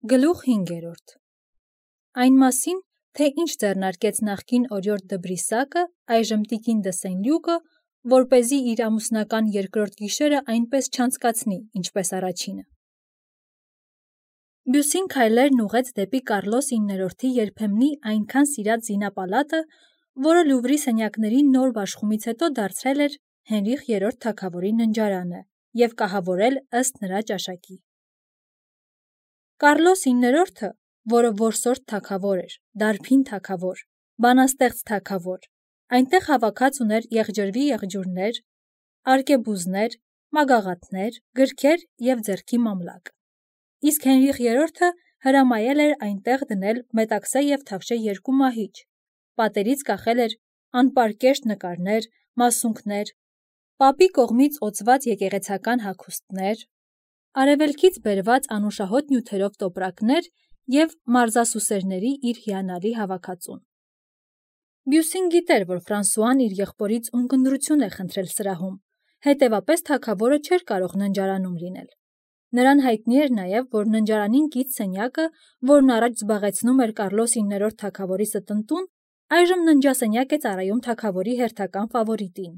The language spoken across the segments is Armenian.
Գլուխ 5. Այն մասին, թե ինչ ձեռնարկեց նախկին օրիորդ դը Բրիսակը, այժմ տիկին դը Սենլյուկը, որպեսզի իր ամուսնական երկրորդ գիշերը այնպես չանցկացնի, ինչպես առաջինը։ Բյուսին քայլերն ուղեց դեպի Կարլոս 9-րդի երբեմնի այնքան սիրած զինապալատը, որը Լուվրի սենյակների նոր բաշխումից հետո դարձրել էր Հենրիխ III թագավորի ննջարանը և կահավորել ըստ նրա ճաշակի։ Կարլոս 9-րդը, որը որսորդ թագավոր էր, դարբին թագավոր, բանաստեղծ թագավոր, այնտեղ հավաքած ուներ եղջրվի եղջյուրներ, արկեբուզներ, մագաղաթներ, գրքեր և ձեռքի մամլակ։ Իսկ Հենրիխ III-ը հրամայել էր այնտեղ դնել մետաքսե և թավշե 2 մահիճ, պատերից կախել էր անպարկեշտ նկարներ, մասունքներ, պապի կողմից օծված եկեղեցական հագուստներ, արևելքից բերված անուշահոտ նյութերով տոպրակներ և մարզասուսերների իր հիանալի հավաքածուն։ Բյուսին գիտեր, որ Ֆրանսուան իր եղբորից ունկնդրություն է խնդրել սրահում, հետևապես թագավորը չէր կարող ննջարանում լինել։ Նրան հայտնի էր նաև, որ ննջարանին կից սենյակը, որն առաջ զբաղեցնում էր Կարլոս 9-րդ թագավորի ստնտուն, այժմ ննջասենյակ է ծառայում թագավորի հերթական ֆավորիտին։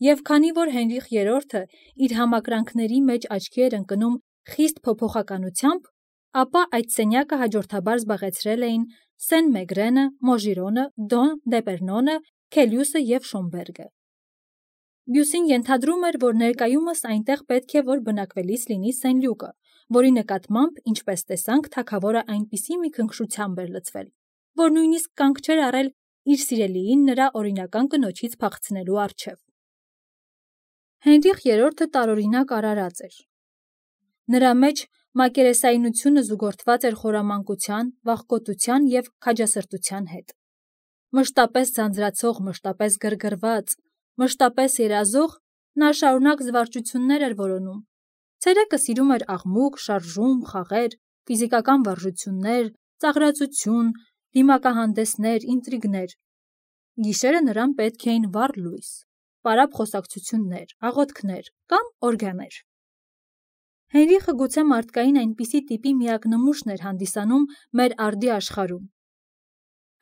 Եվ քանի որ Հենրիխ III-ը իր համակրանքների մեջ աչքի էր ընկնում խիստ փոփոխականությամբ, ապա այդ սենյակը հաջորդաբար զբաղեցրել էին Սեն-Մեգրենը, Մոժիրոնը, Դոն Դեպերնոնը, Քելյուսը և Շոմբերգը։ Բյուսին ենթադրում էր, որ ներկայումս այնտեղ պետք է որ բնակվելիս լինի Սենլյուկը, որի նկատմամբ, ինչպես տեսանք, թագավորը այնպիսի մի քնքշությամբ էր լցվել, որ նույնիսկ կանգ չէր առել իր սիրելիին նրա օրինական կնոջից փախցնելու առջև։ Հենրիխ III-ը տարօրինակ արարած էր։ Նրա մեջ մակերեսայնությունը զուգորդված էր խորամանկության, վախկոտության և քաջասրտության հետ։ Մշտապես ձանձրացող, մշտապես գրգռված, մշտապես երազող, նա շարունակ զվարճություններ էր որոնում։ Ցերեկը սիրում էր աղմուկ, շարժում, խաղեր, ֆիզիկական վարժություններ, ծաղրածություն, դիմակահանդեսներ, ինտրիգներ։ Գիշերը նրան պետք էին վառ լույս, պարապ խոսակցություններ, աղոթքներ կամ օրգաններ։ Հենրիխը գուցե մարդկային այնպիսի տիպի միակ նմուշն էր հանդիսանում մեր արդի աշխարհում։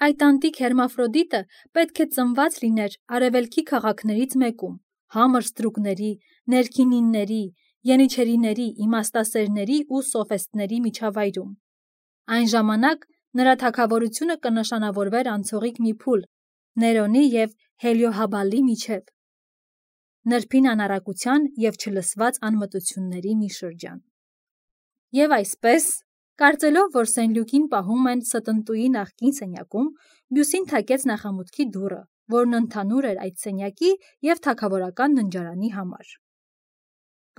Այդ անտիկ հերմաֆրոդիտը պետք է ծնված լիներ արևելքի քաղաքներից մեկում, համր ստրուկների, ներքինինների, ենիչերիների, իմաստասերների ու սոֆիստների միջավայրում։ Այն ժամանակ նրա թագավորությունը կնշանավորվեր անցողիկ մի փուլ Ներոնի և Հելիոհաբալի միջև, նրբին անառակության և չլսված անմտությունների մի շրջան։ Եվ այսպես, կարծելով, որ Սենլյուկին պահում են ստնտուի նախկին սենյակում, Բյուսին թակեց նախամուտքի դուռը, որն ընդհանուր էր այդ սենյակի և թագավորական ննջարանի համար։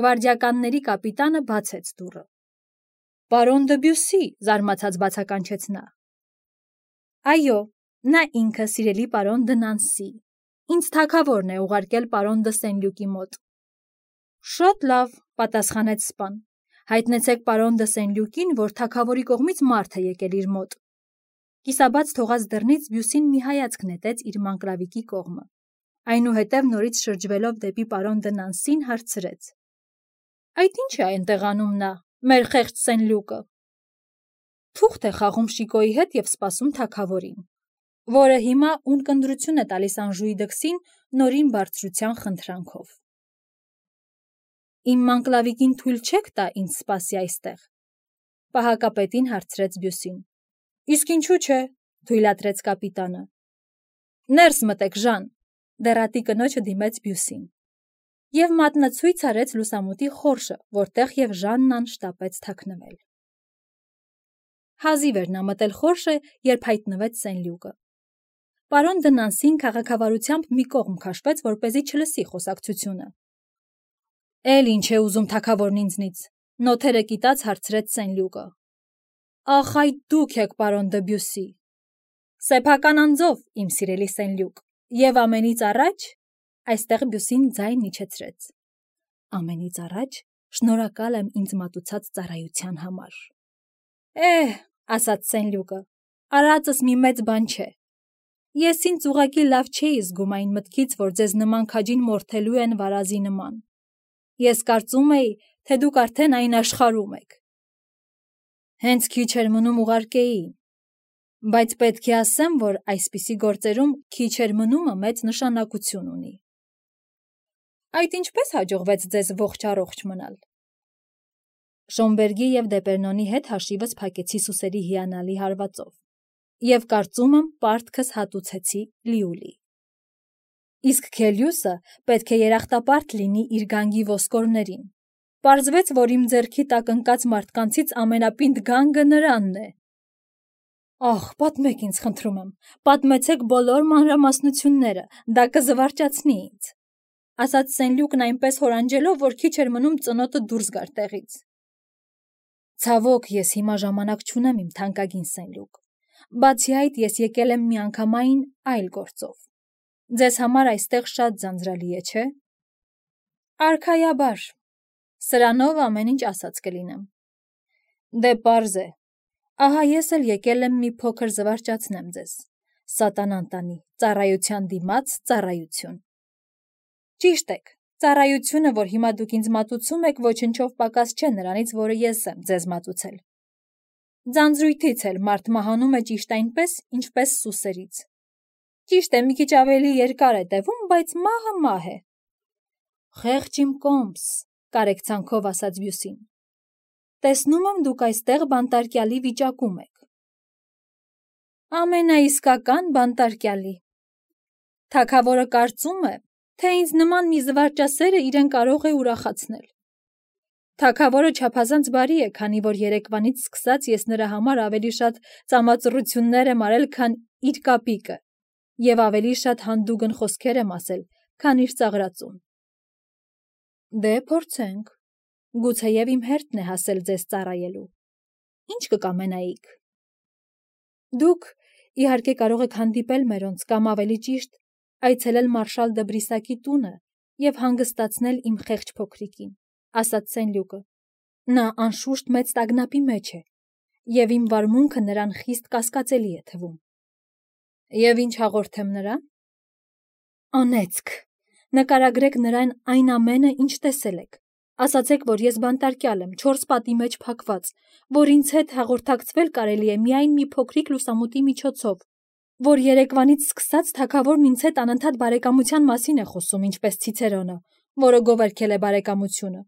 Գվարդիականների կապիտանը բացեց դուռը։ «Պարոն դը Բյուսի», զարմացած բացականչեց նա։ «Այո, նա ինքը, սիրելի պարոն դը Նանսի, ինձ թագավորն է ուղարկել պարոն դը Սենլյուկի մոտ»։ «Շատ լավ», պատասխանեց սպան, «հայտնեցեք պարոն դը Սենլյուկին, որ թագավորի կողմից մարդ է եկել իր մոտ»։ Կիսաբաց թողած դռնից Բյուսին մի հայացք նետեց իր մանկլավիկի կողմը, այնուհետև նորից շրջվելով դեպի պարոն դը Նանսին հարցրեց. «Այդ ի՞նչ է այնտեղ անում նա, մեր խեղճ Սենլյուկը»։ «Թուղթ է խաղում Շիկոյի հետ և սպասում թագավորին, որը հիմա ունկնդրություն է տալիս Անժուի դքսին նորին բարձրության խնդրանքով»։ «Իմ մանկլավիկին թույլ չեք տա ինձ սպասի այստեղ», պահակապետին հարցրեց Բյուսին։ «Իսկ ինչու՞ չէ», թույլատրեց կապիտանը։ «Ներս մտեք, Ժան», դեռատի կնոջը դիմեց Բյուսին։ Եվ մատնացույց արեց լուսամուտի խորշը, որտեղ և Ժաննան շտապեց թաքնվել։ Հազիվ էր նա մտել խորշը, երբ հայտնվեց Սենլյուկը։ Պարոն դը Նանսին քաղաքավարությամբ մի կողմ քաշվեց, որպեսզի չլսի խոսակցությունը։ «Էլ ինչ է ուզում թագավորն ինձնից», նոթերը կիտած հարցրեց Սենլյուկը։ «Ախ, այդ դուք եք, պարոն դը Բյուսի»։ «Սեփական անձով, իմ սիրելի Սենլյուկ, և ամենից առաջ», այստեղ Բյուսին ձայն իջեցրեց, «ամենից առաջ շնորհակալ եմ ինձ մատուցած ծառայության համար»։ Ասաց Սենլյուկը, արածս մի մեծ բան չէ։ Ես ինձ ուղղակի լավ չէի զգում այն մտքից, որ ձեզ նման քաջին մորթելու են վարազի նման։ Ես կարծում էի, թե դուք արդեն այն աշխարհում եք։ Հենց քիչ էր մնում ուղարկեի, բայց պետք է ասեմ, որ այսպիսի գործերում քիչ էր մնումը մեծ նշանակություն ունի։ Այդ ինչպես հաջողվեց ձեզ ողջ-առողջ մնալ։ Շոմբերգի և Դեպերնոնի հետ հաշիվս փակեցի Սուսերի հիանալի հարվածով և կարծում եմ պարտքս հատուցեցի լիուլի։ Իսկ Քելիուսը պետք է երախտապարտ լինի իր գանգի ոսկորներին։ Պարզվեց, որ իմ ձեռքի տակ ընկած մարդկանցից ամենապինդ գանգը նրանն է։ Ահ, պատմեք ինձ, խնդրում եմ, պատմեցեք բոլոր մանրամասնությունները, դա կզվարճացնի ինձ, ասաց Սեն-Լյուկն այնպես հորանջելով, որ քիչ էր մնում ծնոտը դուրս գար տեղից։ Ցավոք, ես հիմա ժամանակ չունեմ, իմ թանկագին Սեն-Լյուկ։ Բացի այդ, ես եկել եմ միանգամայն այլ գործով։ Ձեզ համար այստեղ շատ ձանձրալի է, չէ՞։ Արքայաբար, սրանով ամեն ինչ ասած կլինեմ։ Դե պարզ է, ահա ես էլ եկել եմ մի փոքր զվարճացնեմ ձեզ, սատանան տանի, ծառայության դիմաց ծառայություն։ Ճիշտ եք, ծառայությունը, որ հիմա դուք ինձ մատուցում եք, ոչնչով պակաս չէ նրանից, որը ես եմ ձեզ մատուցել։ Ձանձրույթից էլ մարդ մահանում է ճիշտ այնպես, ինչպես սուսերից։ Ճիշտ է, մի քիչ ավելի երկար է տևում, բայց մահը մահ է։ Խեղճ իմ կոմս, կարեկցանքով ասաց Բյուսին։ Տեսնում եմ դուք այստեղ բանտարկյալի վիճակում եք։ Ամենաիսկական բանտարկյալի։ Թագավորը կարծում է, թե ինձ նման մի զվարճասերը իրեն կարող է ուրախացնել։ Թագավորը չափազանց բարի է, քանի որ երեկվանից սկսած ես նրա համար ավելի շատ ծամածռություններ եմ արել, քան իր կապիկը, և ավելի շատ հանդուգն խոսքեր եմ ասել, քան իր ծաղրածուն։ Դե փորձենք, գուցեև իմ հերթն է հասել ձեզ ծառայելու։ Ինչ կկամենայիք։ Դուք, իհարկե, կարող եք հանդիպել մերոնց կամ ավելի ճիշտ, այցելել մարշալ դը Բրիսակի տունը և հանգստացնել իմ խեղճ փոքրիկին, ասաց Սեն-Լյուկը։ Նա անշուշտ մեծ տագնապի մեջ է, և իմ վարմունքը նրան խիստ կասկածելի է թվում։ Եվ ինչ հաղորդեմ նրան։ Անեծք, նկարագրեք նրան այն ամենը, ինչ տեսել եք։ Ասացեք, որ ես բանտարկյալ եմ, 4 պատի մեջ փակված, որ ինձ հետ հաղորդակցվել կարելի է միայն մի փոքրիկ լուսամուտի միջոցով, որ երեկվանից սկսած թագավորն ինձ հետ անընդհատ բարեկամության մասին է խոսում, ինչպես Ցիցերոնը, որը գովերգել է բարեկամությունը,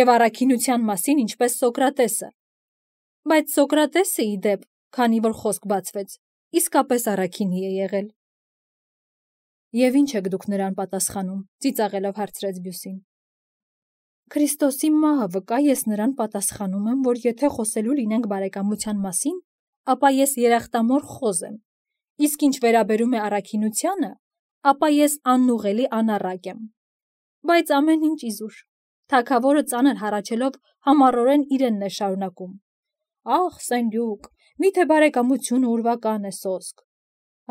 և առաքինության մասին, ինչպես Սոկրատեսը։ Բայց Սոկրատեսը, ի դեպ, քանի որ խոսք բացվեց, իսկապես առաքինի է եղել։ Եվ ինչ եք դուք նրան պատասխանում, ծիծաղելով հարցրեց Բյուսին։ Քրիստոսի մահը վկա, ես նրան պատասխանում եմ, որ եթե խոսելու լինենք բարեկամության մասին, ապա ես երախտամոռ խոզ եմ, իսկ ինչ վերաբերում է առաքինությանը, ապա ես անուղելի անառակ եմ։ Բայց ամեն ինչ իզուր։ Թագավորը ծանր հառաչելով համառորեն իրենն է շարունակում։ Ախ, Սեն-Լյուկ, միթե բարեկամությունը ուրվական է սոսկ։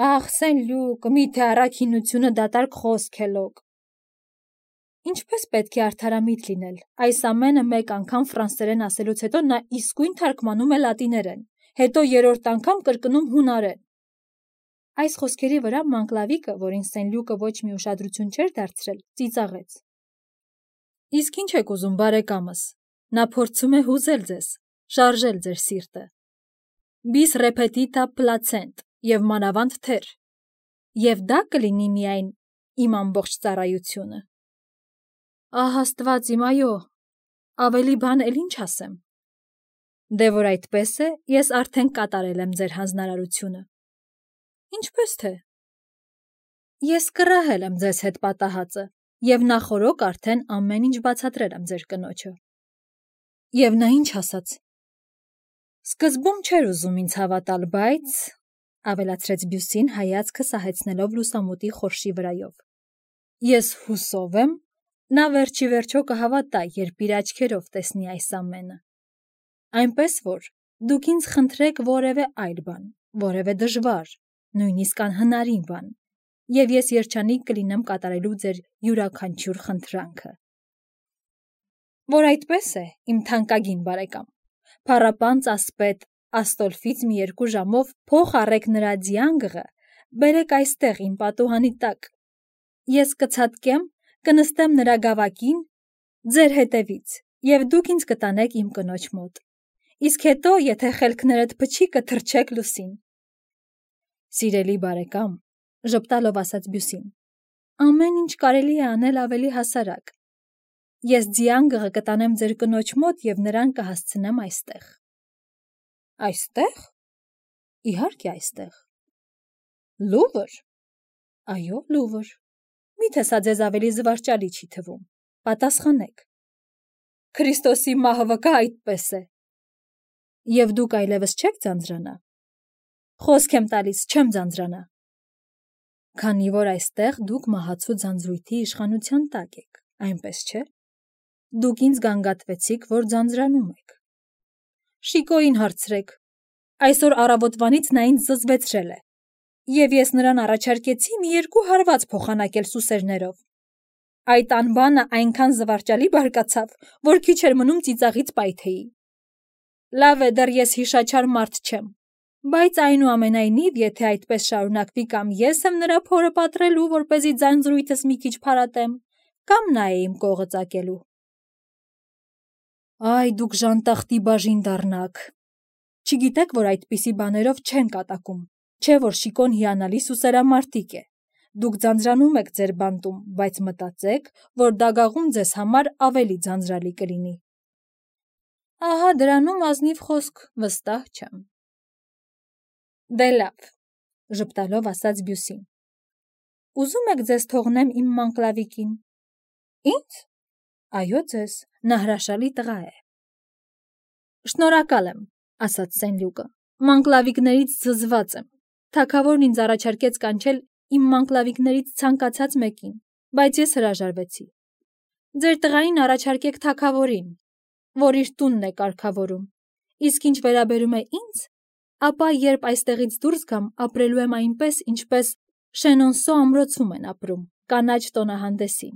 Ախ, Սեն-Լյուկ, միթե առաքինությունը դատարկ խոսք է լոկ։ Ինչպես պետք է արդարամիտ լինել, այս ամենը մեկ անգամ ֆրանսերեն ասելուց հետո նա իսկույն թարգմանում է լատիներեն, հետո երրորդ անգամ կրկնում հունարեն։ Այս խոսքերի վրա Մանկլավիկը, որին Սեն-Լյուկը ոչ մի ուշադրություն չէր դարձրել, ծիծաղեց։ Իսկ ինչ եք ուզում, բարեկամս, նա փորձում է հուզել ձեզ, շարժել ձեր սիրտը։ Bis repetita placent և մանավանդ թեր, և դա կլինի միայն իմ ամբողջ ծառայությունը։ Ահ, Աստված իմ, այո, ավելի բան էլ ինչ ասեմ։ Դե որ այդպես է, ես արդեն կատարել եմ ձեր հանձնարարությունը։ Ինչպես թե։ Ես կռահել եմ ձեզ հետ պատահածը, և նախօրոք արդեն ամեն ինչ բացատրել եմ ձեր կնոջը։ Եվ նա ինչ ասաց։ Սկզբում չէր ուզում ինձ հավատալ, բայց, ավելացրեց Բյուսին հայացքը սահեցնելով լուսամուտի խորշի վրայով։ Ես հուսով եմ, նա վերջի վերջո կհավատա, երբ իր աչքերով տեսնի այս ամենը։ Այնպես որ դուք ինձ խնդրեք որևէ այլ բան, որևէ դժվար, նույնիսկ անհնարին բան, և ես երջանիկ կլինեմ կատարելու ձեր յուրաքանչյուր խնդրանքը։ Որ այդպես է, իմ թանկագին բարեկամ, փառապանծ ասպետ Աստոլֆից մի 2 ժամով փող առեք նրա ձիանգը, բերեք այստեղ իմ պատուհանի տակ։ Ես կցատկեմ, կնստեմ նրա գավակին, ձեր հետևից, և դուք ինձ կտանեք իմ կնոջ մոտ։ Իսկ հետո, եթե խելքներդ փչի, կթռչեք լուսին։ Սիրելի բարեկամ, ժպտալով ասաց Բյուսին, ամեն ինչ կարելի է անել ավելի հասարակ։ Ես ձիանգղը կտանեմ ձեր կնոջ մոտ և նրան կհասցնեմ այստեղ։ Այստեղ։ Իհարկե այստեղ։ Լուվր։ Այո, Լուվր։ Միթե սա ձեզ ավելի զվարճալի չի թվում։ Պատասխանեք։ Քրիստոսի մահը վկա այդպես է։ Եվ դուք այլևս չեք ձանձրանա։ Խոսք եմ տալիս, չեմ ձանձրանա։ Քանի որ այստեղ դուք մահացու ձանձրույթի իշխանության տակ եք, այնպես չէ։ Դուք ինձ գանգատվեցիք, որ ձանձրանում եք։ Շիկոյին հարցրեք։ Այսօր առավոտվանից նա ինձ զզվեցրել է։ Եվ ես նրան առաջարկեցի մի 2 հարված փոխանակել սուսերներով։ Այդ անբանը այնքան զվարճալի բարկացավ, որ քիչ էր մնում ծիծաղից պայթեի։ Լավ է, դեռ ես հիշաչար մարդ չեմ, բայց այնուամենայնիվ, եթե այդպես շարունակվի, կամ ես եմ նրա փորը պատռելու, որպեսզի ձանձրույթս մի քիչ փարատեմ, կամ նա է իմ կողը ծակելու։ Այ դուք ժանտախտի բաժին դառնաք։ Չգիտեք, որ այդպիսի բաներով չեն կատակում, չէ որ Շիկոն հիանալի սուսերամարտիկ է։ Դուք ձանձրանում եք ձեր բանտում, բայց մտածեք, որ դագաղում ձեզ համար ավելի ձանձրալի կլինի։ Ահա դրանում ազնիվ խոսք, վստահ չեմ։ Դե լավ, ժպտալով ասաց Բյուսին։ Ուզում եք ձեզ թողնեմ իմ մանկլավիկին։ Ինձ։ Այո, ձեզ, նա հրաշալի տղա է։ Շնորհակալ եմ, ասաց Սենլյուկը, մանկլավիկներից զզված եմ։ Թագավորն ինձ առաջարկեց կանչել իմ մանկլավիկներից ցանկացած մեկին, բայց ես հրաժարվեցի։ Ձեր տղային առաջարկեք թագավորին, որ իր տունն է կարգավորում, իսկ ինչ վերաբերում է ինձ, ապա երբ այստեղից դուրս գամ, ապրելու եմ այնպես, ինչպես Շենոնսո ամրոցում են ապրում, կանաչ տոնահանդեսին։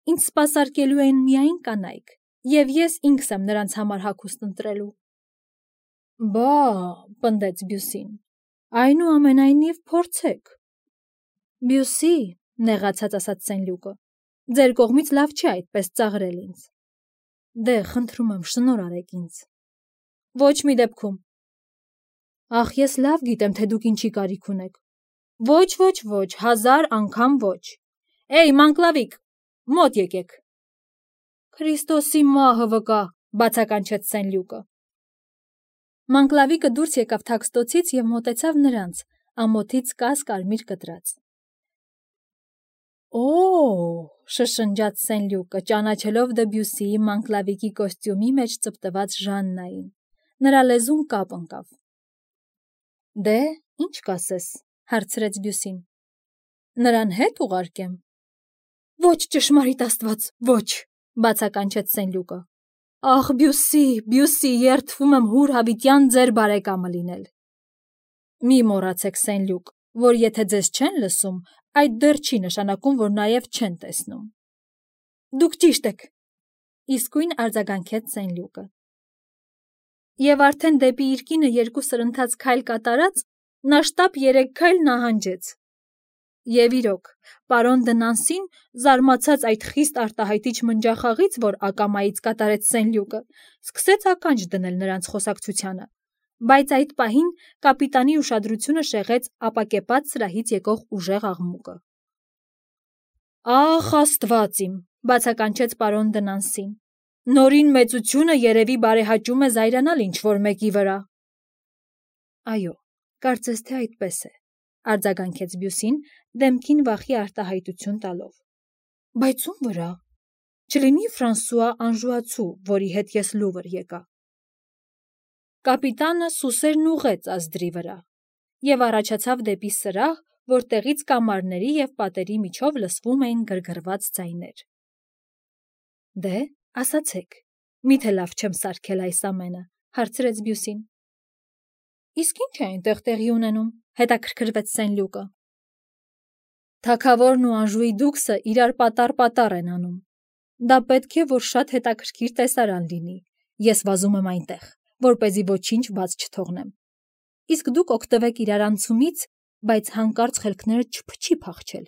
Ինձ սպասարկելու են միայն կանայք, և ես ինքս եմ նրանց համար հագուստ ընտրելու։ Բա, պնդեց Բյուսին, այնուամենայնիվ փորձեք։ Բյուսի, նեղացած ասաց Սենլյուկը, ձեր կողմից լավ չի այդպես ծաղրել ինձ։ Դե, խնդրում եմ, շնորհ արեք ինձ։ Ոչ մի դեպքում։ Ախ, ես լավ գիտեմ, թե դուք ինչի կարիք ունեք։ Ոչ, 1000 անգամ ոչ։ Էй, մանկլավիկ, մոտ եկեք։ Քրիստոսի մահը վկա, բացականչեց Սենլյուկը։ Մանկլավիկը դուրս եկավ թաքստոցից և մոտեցավ նրանց, ամոթից կաս կարմիր կտրած։ Օ, շշնջաց Սենլյուկը, ճանաչելով Դեբյուսիի մանկլավիկի կոստյումի մեջ ծպտված Ժաննային։ Նրա լեզուն կապ ընկավ։ Դե, ինչ կասես, հարցրեց Բյուսին։ Նրան հետ ուղարկեմ։ Ոչ, ճշմարիտ Աստված, ոչ, բացականչեց Սենլյուկը։ Ախ, Բյուսի, երդվում եմ հուր հավիտյան ձեր բարեկամը լինել։ Մի մոռացեք, Սենլյուկ, որ եթե ձեզ չեն լսում, այդ դեռ չի նշանակում, որ նաև չեն տեսնում։ Դուք ճիշտ եք, իսկույն արձագանքեց Սենլյուկը։ Եվ արդեն դեպի իր կինը 2 սրընթաց քայլ կատարած, նա շտապ 3 քայլ նահանջեց։ Եվ իրոք, պարոն Դնանսին, զարմացած այդ խիստ արտահայտիչ մնջախաղից, որ ակամայից կատարեց Սենլյուկը, սկսեց ականջ դնել նրանց խոսակցությանը, բայց այդ պահին կապիտանի ուշադրությունը շեղեց ապակեպած սրահից եկող ուժեղ աղմուկը։ Ախ, Աստված իմ, բացականչեց պարոն Դնանսին, նորին մեծությունը երևի բարեհաճում է զայրանալ ինչ-որ մեկի վրա։ Այո, կարծես թե այդպես է, արձագանքեց Բյուսին, դեմքին վախի արտահայտություն տալով։ Բայց ում վրա։ Չլինի Ֆրանսուଆ Անժուացու, որի հետ ես Լուվր եկա։ Կապիտանը սուսերն ուղղեց ազդրի վրա և առաջացավ դեպի սրահ, որտեղից կամարների և պատերի միջով լսվում էին գրգռված ձայներ։ Դե, ասացեք, միթե լավ չեմ սարքել այս ամենը, հարցրեց Բյուսին։ Իսկ ինչ է այնտեղ տեղի ունենում, հետաքրքրվեց Սենլյուկը։ Թագավորն ու Անժուի դուքսը իրար պատառ են անում։ Դա պետք է, որ շատ հետաքրքիր տեսարան լինի։ Ես վազում եմ այնտեղ, որպեսզի ոչինչ բաց չթողնեմ։ Իսկ դուք օգտվեք իրար անցումից, բայց հանկարծ խելքներդ չփչի փախչել։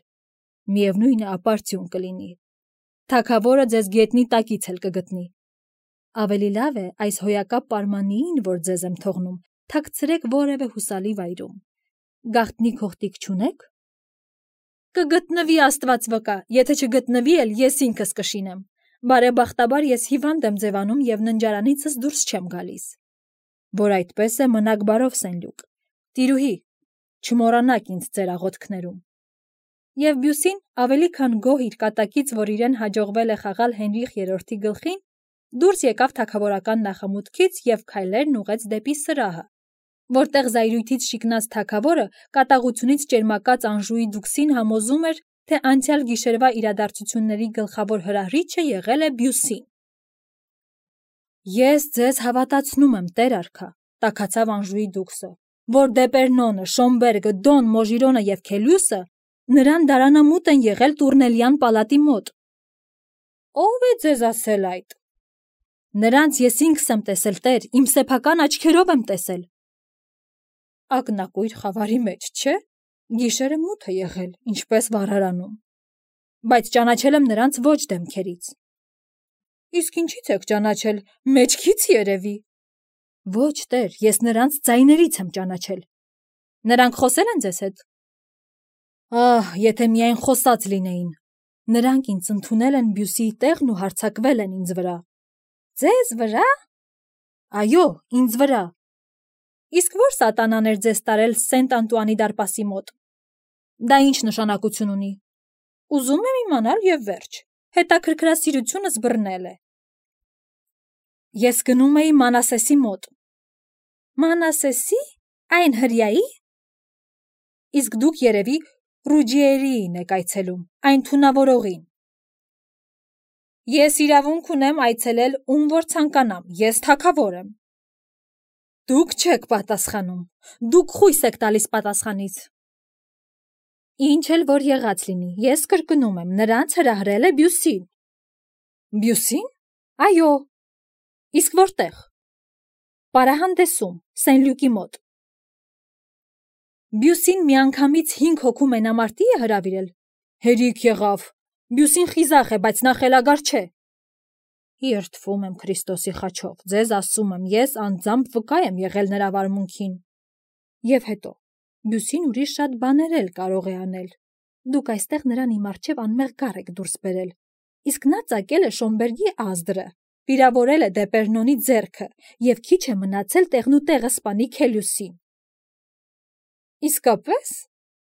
Միևնույն է, ապարդյուն կլինի։ Թագավորը ձեզ գետնի տակից էլ կգտնի։ Ավելի լավ է այս հոյակապ պարմանիին, որ ձեզ եմ թողնում, թաքցրեք որևէ հուսալի վայրում։ Գաղտնի քողտիկ չունեք։ Կգտնվի Աստված վկա, եթե չգտնվի էլ ես ինքս կշինեմ։ Բարեբախտաբար ես հիվանդ եմ ձևանում եւ ննջարանիցս դուրս չեմ գալիս։ Որ այդպես է, մնաք բարով, Սենլյուկ։ Տիրուհի, չմոռանաք ինձ ձեր աղոթքներում։ Եվ Բյուսին ավելի քան գոհ իր կատակից, որ իրեն հաջողվել է խաղալ Հենրիխ III-ի գլխին, դուրս եկավ թագավորական նախամուտքից եւ քայլերն ուղեց դեպի սրահը, որտեղ զայրույթից շիկնած թագավորը կատաղությունից ճերմակած Անժուի դուքսին համոզում էր, թե անցյալ գիշերվա իրադարձությունների գլխավոր հրահրիչը եղել է Բյուսին։ Ես ձեզ հավատացնում եմ, տեր արքա, տաքացավ Անժուի դուքսը, որ Դեպերնոնը, Շոմբերգը, Դոն, Մոժիրոնը եւ Քելյուսը նրան դարանամուտ են եղել Տուրնելյան պալատի մոտ։ Ո՞վ է ձեզ ասել այդ։ Նրանց ես ինքս եմ տեսել, տեր, իմ սեփական աչքերով եմ տեսել։ Ակնակույր խավարի մեջ, չէ՞։ Գիշերը մութ է եղել, ինչպես վառարանում։ Բայց ճանաչել եմ նրանց ոչ դեմքերից։ Իսկ ինչից եք ճանաչել, մեջքից երևի։ Ոչ, տեր, ես նրանց ձայներից եմ ճանաչել։ Նրանք խոսել են ձեզ հետ։ Ահ, եթե միայն խոսած լինեին։ Նրանք ինձ ընդունել են Բյուսիի տեղն ու հարձակվել են ինձ վրա։ Ձեզ վրա։ Այո, ինձ վրա։ Իսկ ո՞ր սատանան էր ձեզ տարել Սենտ Անտուանի դարպասի մոտ։ Դա ինչ նշանակություն ունի։ Ուզում եմ իմանալ եւ վերջ։ Հետաքրքրասիրությունս բռնել է։ Ես գնում էի Մանասեսի մոտ։ Մանասեսի։ Այն հրյայի։ Իսկ դուք երևի Ռուջիերիին եք այցելում, այն թունավորողին։ Ես իրավունք ունեմ այցելել ում որ ցանկանամ, ես թագավոր եմ։ Դուք չեք պատասխանում, դուք խույս եք տալիս պատասխանից։ Ինչ էլ որ եղած լինի, ես կրկնում եմ, նրանց հրահրել է Բյուսին։ Բյուսին։ Այո։ Իսկ որտեղ։ Պարահանդեսում, Սենլյուկի մոտ։ Բյուսին միանգամից 5 հոգու մենամարտի է հրավիրել։ Հերիք եղավ։ Բյուսին խիզախ է, բայց նա խելագար չէ։ Երդվում եմ Քրիստոսի խաչով, ձեզ ասում եմ, ես անձամբ վկա եմ եղել նրա վարմունքին։ Եվ հետո, Բյուսին ուրիշ շատ բաներ էլ կարող է անել։ Դուք այստեղ նրան իմ առջև անմեղ գառ եք դուրս բերել։ Իսկ նա ծակել է Շոմբերգի ազդրը, վիրավորել է Դեպերնոնի ձեռքը եւ քիչ է մնացել տեղնուտեղը սպանի Քելյուսին։ Իսկապես,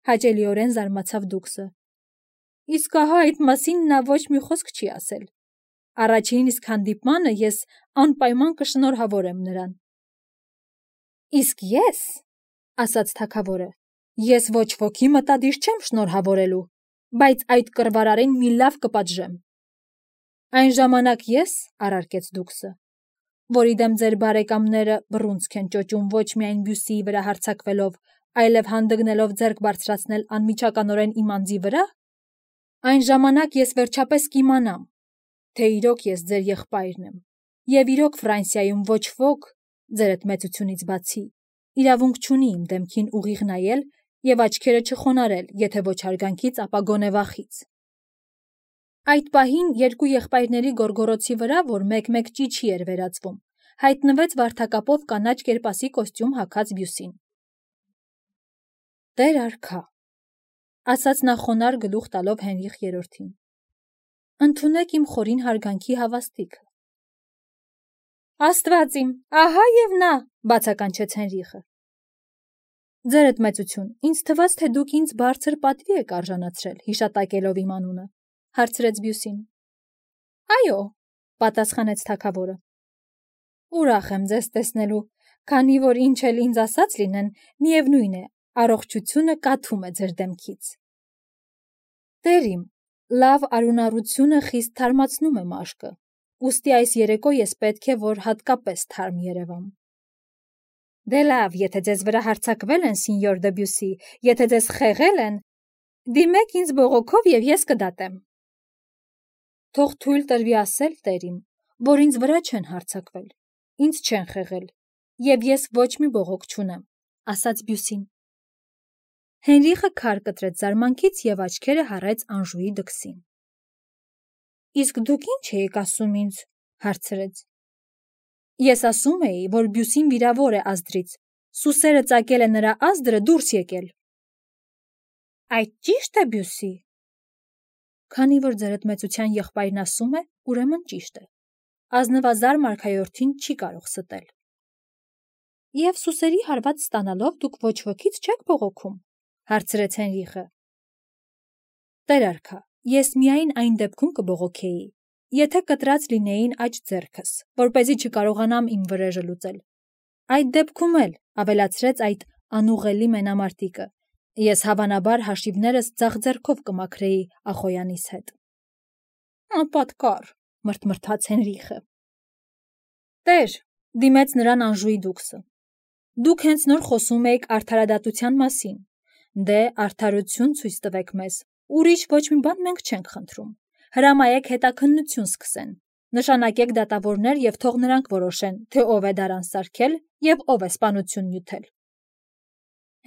հաճելիորեն զարմացավ դուքսը։ Իսկ ահա այդ մասին նա ոչ մի խոսք չի ասել։ Առաջին իսկ հանդիպմանը ես անպայման կշնորհավորեմ նրան։ Իսկ ես, ասաց թագավորը, ես ոչ ոքի մտադիր չեմ շնորհավորելու, բայց այդ կռվարարին մի լավ կպատժեմ։ Այն ժամանակ ես, առարկեց դուքսը, որի դեմ ձեր բարեկամները բռունցք են ճոճում ոչ միայն Բյուսիի վրա հարձակվելով, այլև հանդգնելով ձեռք բարձրացնել անմիջականորեն իմ անձի վրա, այն ժամանակ ես վերջապես կիմանամ, թե իրոք ես ձեր եղբայրն եմ, եւ իրոք Ֆրանսիայում ոչ ոք, ձերդ մեծությունից բացի, իրավունք չունի իմ դեմքին ուղիղ նայել եւ աչքերը չխոնարել, եթե ոչ հարգանքից, ապա գոնե վախից։ Այդ պահին երկու եղբայրների գորգորոցի վրա, որ մեկ-մեկ ճիչի էր վերածվում, հայտնվեց վարդակապով կանաչ կերպասի կոստյում հագած Բյուսին։ Տեր արքա, ասաց նա խոնար գլուխ տալով Հենրիխ III-ին։ Ընդունեք իմ խորին հարգանքի հավաստիքը։ Աստված իմ, ահա եւ նա, բացականչեց Հենրիխը։ Ձերդ մեծություն, ինձ թվաց, թե դուք ինձ բարձր պատվի եք արժանացրել, հիշատակելով իմ անունը, հարցրեց Բյուսին։ Այո, պատասխանեց թագավորը։ Ուրախ եմ ձեզ տեսնելու, քանի որ ինչ էլ ինձ ասած լինեն, միևնույն է, առողջությունը կաթում է ձեր դեմքից։ Տեր իմ, լավ արունառությունը խիստ թարմացնում է մաշկը, ուստի այս երեկո ես պետք է, որ հատկապես թարմ երևամ։ Դե լավ, եթե ձեզ վրա հարձակվել են, սինյոր դե Բյուսի, եթե ձեզ խեղել են, դիմեք ինձ բողոքով եւ ես կդատեմ։ Թող թույլ տրվի ասել, տեր իմ, որ ինձ վրա չեն հարձակվել, ինձ չեն խեղել, եւ ես ոչ մի բողոք չունեմ, ասաց Բյուսին։ Հենրիխը քար կտրեց զարմանքից եւ աչքերը հառեց Անժուի դքսին։ Իսկ դուք ինչ էիք ասում ինձ, հարցրեց։ Ես ասում էի, որ Բյուսին վիրավոր է ազդրից, սուսերը ծակել է նրա ազդրը դուրս եկել։ Այդ ճիշտ է, Բյուսի։ Քանի որ ձերդ մեծության եղբայրն ասում է, ուրեմն ճիշտ է։ Ազնվազար մարգայորդին չի կարող ստել։ Եվ սուսերի հարված ստանալով դուք ոչ ոքից չեք բողոքում, հարցրեց Հենրիխը։ Տեր արքա, ես միայն այն դեպքում կբողոքեի, եթե կտրած լինեին աջ ձեռքս, որպեսզի չկարողանամ իմ վրեժը լուծել։ Այդ դեպքում էլ, ավելացրեց այդ անուղելի մենամարտիկը, ես հավանաբար հաշիվներս ձախ ձեռքով կմաքրեի Ախոյանիս հետ։ Պատկար, մրթմրթաց Հենրիխը։ Տեր, դիմեց նրան Անժուի դուքսը։ Դուք հենց նոր խոսում էիք արդարադատության մասին։ Դե արդարություն ցույց տվեք մեզ։ Ուրիշ ոչ մի բան մենք չենք խնդրում։ Հրամայեք հետաքննություն սկսեն։ Նշանակեք դատավորներ եւ թող նրանք որոշեն, թե ով է դարան սարքել եւ ով է սպանություն նյութել։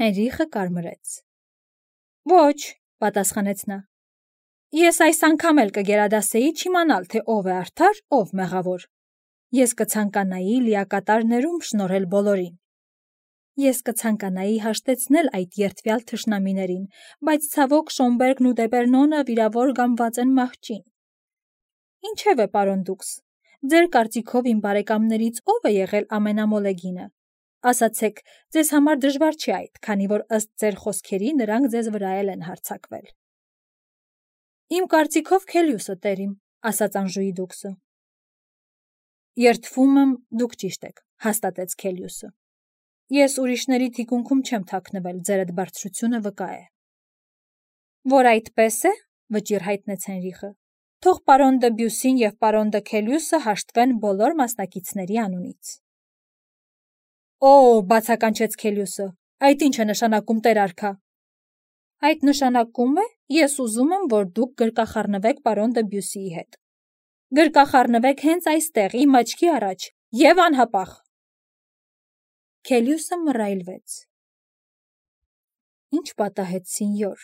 Հենրիխը կարմրեց։ Ոչ, պատասխանեց նա։ Ես այս անգամ էլ կգերադասեի չիմանալ, թե ով է արդար, ով մեղավոր։ Ես կցանկանայի լիակատար ներում շնորհել բոլորին։ Ես կցանկանայի հաշտեցնել այդ երդվյալ թշնամիներին, բայց ցավոք Շոմբերգն ու Դեպերնոնը վիրավոր գամված են մահճին։ Ինչևէ, պարոն դուքս, ձեր կարծիքով իմ բարեկամներից ով է եղել ամենամոլեգինը։ Ասացեք, ձեզ համար դժվար չի այդ, քանի որ ըստ ձեր խոսքերի նրանք ձեզ վրա էլ են հարձակվել։ Իմ կարծիքով Քելիուսը, տերիմ, ասաց Անժուի դուքսը։ Երդվում եմ, դուք ճիշտ եք, հաստատեց Քելիուսը։ Ես ուրիշների թիկունքում չեմ թաքնվել, ձերդ բարձրությունը վկա է։ Որ այդպես է, վճիռ հայտնեց Հենրիխը, թող պարոն դը Բյուսին եւ պարոն դը Քելիուսը հաշտվեն բոլոր մասնակիցների անունից։ Օ, բացականչեց Քելիուսը, այդ ինչ է նշանակում, տեր արքա։ Այդ նշանակում է, ես ուզում եմ, որ դուք գրկախառնվեք պարոն դը Բյուսիի հետ։ Գրկախառնվեք հենց այստեղ, իմ աչքի առաջ, եւ անհապաղ։ Քելիուսը մռայլվեց։ Ինչ պատահեց, սինյոր,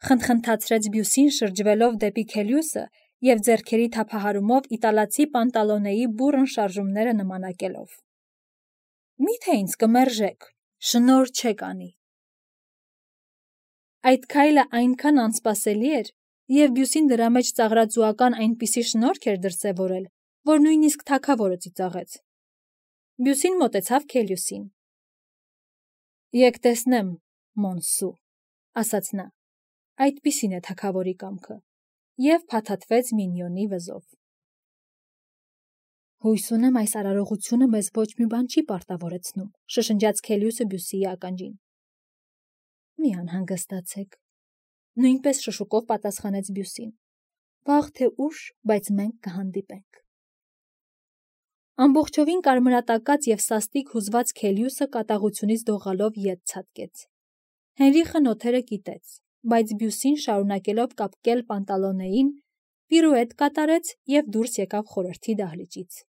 խնդխնդացրեց Բյուսին շրջվելով դեպի Քելիուսը եւ ձեռքերի թափահարումով իտալացի պանտալոնեի բուռն շարժումները նմանակելով։ Միթե ինձ կմերժեք, շնոր չեք անի։ Այդ քայլը այնքան անսպասելի էր, եւ Բյուսին դրա մեջ ծաղրածուական այնպիսի շնորհք էր դրսևորել, որ նույնիսկ թագավորը ծիծաղեց։ Բյուսին մոտեցավ Քելիուսին։ Եկ տեսնեմ, Մոնսու, ասաց նա, այդպիսին է թագավորի կամքը, եւ փաթաթվեց մինյոնի վզով։ Հույս ունեմ այս արարողությունը մեզ ոչ մի բան չի պարտավորեցնում, շշնջաց Քելիուսը Բյուսիի ականջին։ Մի անհանգստացեք, նույնպես շշուկով պատասխանեց Բյուսին։ Վաղ թե ուշ, բայց մենք կհանդիպենք։ Ամբողջովին կարմրատակած եւ սաստիկ հուզված Քելիուսը կատաղությունից դողալով ետ ցատկեց։ Հենրիխը նոթերը կիտեց, բայց Բյուսին շարունակելով կապկել պանտալոնեին, պիրուետ կատարեց եւ դուրս եկավ խորհրդի դահլիճից։